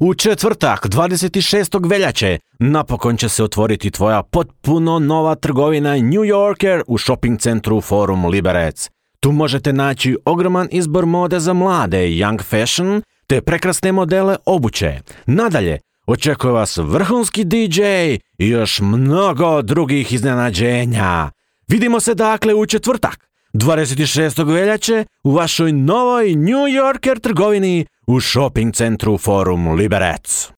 U četvrtak, 26. veljače, napokon će se otvoriti tvoja potpuno nova trgovina New Yorker u shopping centru Forum Liberec. Tu možete naći ogroman izbor mode za mlade, young fashion, te prekrasne modele obuće. Nadalje, očekuje vas vrhunski DJ i još mnogo drugih iznenađenja. Vidimo se dakle u četvrtak, 26. veljače, u vašoj novoj New Yorker trgovini u shopping centru Forum Liberec.